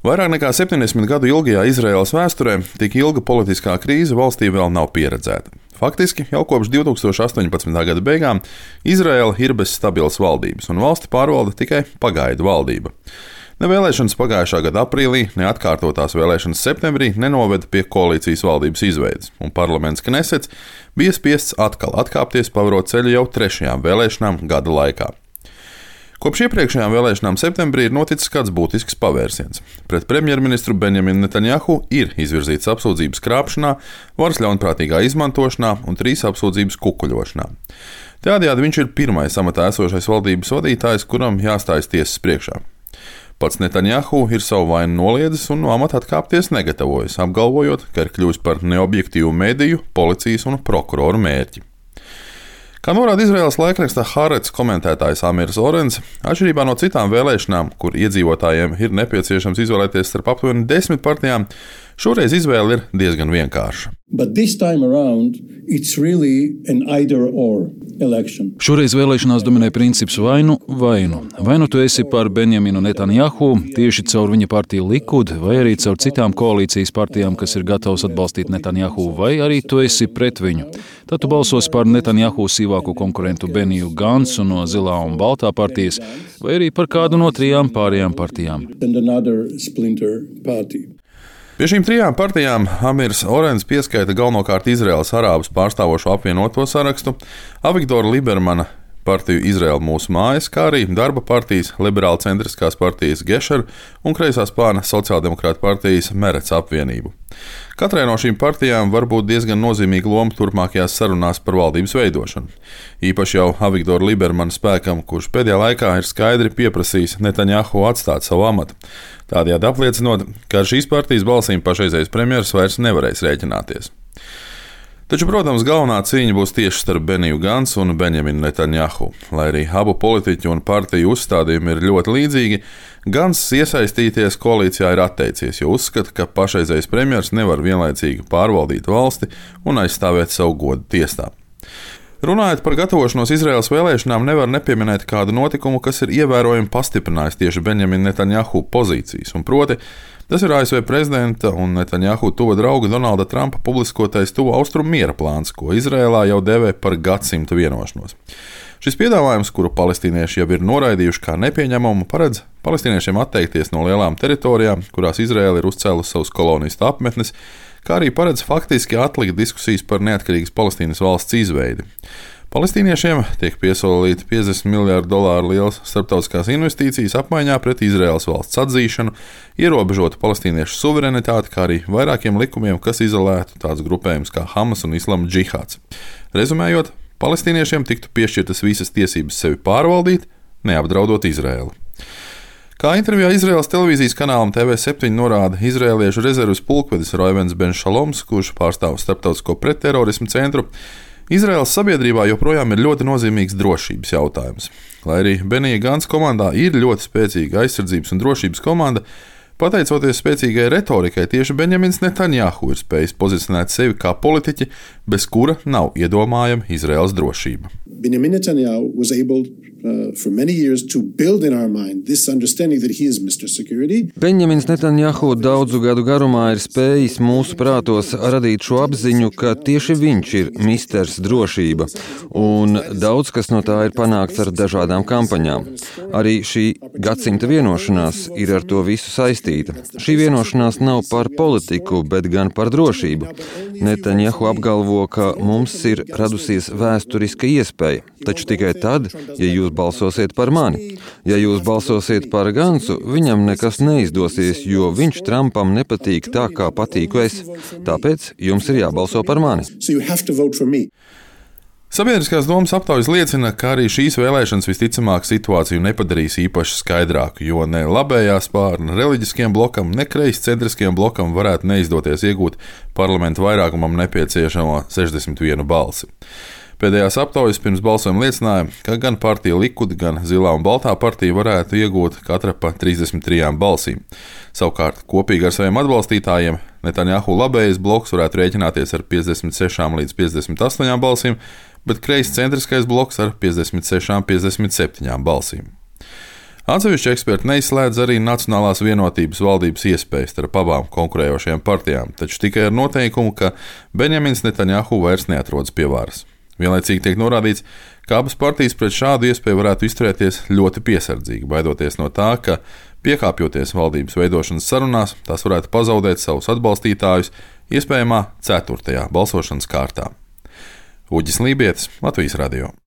Vairāk nekā 70 gadu ilgajā Izraēlas vēsturē tik ilga politiskā krīze valstī vēl nav pieredzēta. Faktiski jau kopš 2018. gada beigām Izraēla ir bez stabilas valdības, un valsti pārvalda tikai pagaidu valdība. Ne vēlēšanas pagājušā gada aprīlī, ne atkārtotās vēlēšanas septembrī nenoveda pie koalīcijas valdības izveides, un parlaments Knesets bija spiests atkal atkāpties, pavarot ceļu jau 3. vēlēšanām gada laikā. Kopš iepriekšējām vēlēšanām septembrī ir noticis kāds būtisks pavērsiens. Pret premjerministru Benjaminu Netanjahu ir izvirzītas apsūdzības krāpšanā, varas ļaunprātīgā izmantošanā un 3 apsūdzības kukuļošanā. Tādējādi viņš ir pirmais amatā esošais valdības vadītājs, kuram jāstājas tiesas priekšā. Pats Netanjahu ir savu vainu noliedzis un no amata atkāpties negatavojas, apgalvojot, ka ir kļuvis par neobjektīvu mediju, policijas un prokuroru mērķi. Kā norāda Izraēlas laikraksta Haaretz komentētājs Amirs Orens, atšķirībā no citām vēlēšanām, kur iedzīvotājiem ir nepieciešams izvēlēties starp aptuveni 10 partijām, šoreiz izvēle ir diezgan vienkārša. Šoreiz vēlēšanās dominē princips vainu. Vai nu tu esi par Benjaminu Netanjahu tieši caur viņa partiju Likud, vai arī caur citām koalīcijas partijām, kas ir gatavas atbalstīt Netanjahu, vai arī tu esi pret viņu. Tad tu balsos par Netanjahu sīvāko konkurentu Beniju Gansu no Zilā un Baltā partijas, vai arī par kādu no 3 pārējām partijām. Pie šīm 3 partijām Amirs Orens pieskaita galvenokārt Izraēlas arābus pārstāvošo apvienoto sarakstu, Avigdora Libermana partiju Izraēla mūsu mājas, kā arī darba partijas, liberāla centriskās partijas Gešer un kreisā spārna sociāldemokrāta partijas Merets apvienību. Katrai no šīm partijām var būt diezgan nozīmīga loma turpmākajās sarunās par valdības veidošanu. Īpaši jau Avigdora Libermana spēkam, kurš pēdējā laikā ir skaidri pieprasījis Netanjahu atstāt savu amatu. Tādējādi apliecinot, ka ar šīs partijas balsīm pašreizējais premjeras vairs nevarēs rēķināties. Taču, protams, galvenā cīņa būs tieši starp Beniju Gansu un Benjaminu Netanjahu. Lai arī abu politiķu un partiju uzstādījumi ir ļoti līdzīgi, Gans iesaistīties koalīcijā ir atteicies, jo uzskata, ka pašreizējais premjers nevar vienlaicīgi pārvaldīt valsti un aizstāvēt savu godu tiesā. Runājot par gatavošanos Izraēlas vēlēšanām, nevar nepieminēt kādu notikumu, kas ir ievērojami pastiprinājis tieši Benjamina Netanjahu pozīcijas, un proti, tas ir ASV prezidenta un Netanjahu tuva drauga Donalda Trumpa publiskotais tuvu austrumu miera plāns, ko Izraēlā jau dēvē par gadsimta vienošanos. Šis piedāvājums, kuru palestīnieši jau ir noraidījuši kā nepieņemamu, paredz palestīniešiem atteikties no lielām teritorijām, kurās Izraēla ir uzcēlusi savus kolonistu apmetnes, kā arī paredz faktiski atlikt diskusijas par neatkarīgas Palestīnas valsts izveidi. Palestīniešiem tiek piesolīti $50 miljārdu liels starptautiskās investīcijas apmaiņā pret Izraēlas valsts atzīšanu, ierobežotu palestīniešu suverenitāti, kā arī vairākiem likumiem, kas izolētu tādus grupējumus kā Hamas un Islama džihāds. Rezumējot, palestīniešiem tiktu piešķirtas visas tiesības sevi pārvaldīt, neapdraudot Izraēlu. Kā intervijā Izraēlas televīzijas kanālam TV7 norāda izraēliešu rezerves pulkvedis Roivens Ben Šaloms, kurš pārstāv starptautisko pretterorismu centru, Izraēlas sabiedrībā joprojām ir ļoti nozīmīgs drošības jautājums. Lai arī Benija Gansa komandā ir ļoti spēcīga aizsardzības un drošības komanda, pateicoties spēcīgai retorikai, tieši Benjamins Netanjahu ir spējis pozicionēt sevi kā politiķi, bez kura nav iedomājama Izraēlas drošība. Benjamin Netanyahu was able for many years to build in our mind this understanding that he is Mr. Security. Benjamins Netanjahu daudzu gadu garumā ir spējis mūsu prātos radīt šo apziņu, ka tieši viņš ir misters drošība, un daudz kas no tā ir panākts ar dažādām kampaņām. Arī šī gadsimta vienošanās ir ar to visu saistīta. Šī vienošanās nav par politiku, bet gan par drošību. Netanjahu apgalvo, ka mums ir radusies vēsturiska iespēja, taču tikai tad, ja jūs balsosiet par mani. Ja jūs balsosiet par Gansu, viņam nekas neizdosies, jo viņš Trumpam nepatīk tā, kā patīku es. Tāpēc jums ir jābalso par mani. Sabiedriskās domas aptaujas liecina, ka arī šīs vēlēšanas visticamāk situāciju nepadarīs īpaši skaidrāku, jo ne labējā spārna reliģiskiem blokam, ne kreiscentriskiem blokam varētu neizdoties iegūt parlamentu vairākumam nepieciešamo 61 balsi. Pēdējās aptaujas pirms balsojuma liecināja, ka gan partija Likud, gan Zilā un Baltā partija varētu iegūt katra pa 33 balsīm. Savukārt, kopīgi ar saviem atbalstītājiem Netanjahu labējais bloks varētu rēķināties ar 56 līdz 58 balsīm, bet kreiscentriskais bloks ar 56-57 balsīm. Atsevišķi eksperti neizslēdz arī Nacionālās vienotības valdības iespējas starp abām konkurējošajām partijām, taču tikai ar noteikumu, ka Benjamins Netanjahu vairs neatrodas pie varas. Vienlaicīgi tiek norādīts, ka abas partijas pret šādu iespēju varētu izturēties ļoti piesardzīgi, baidoties no tā, ka, piekāpjoties valdības veidošanas sarunās, tās varētu pazaudēt savus atbalstītājus iespējamā 4. balsošanas kārtā. Uģis Lībietis, Latvijas radio.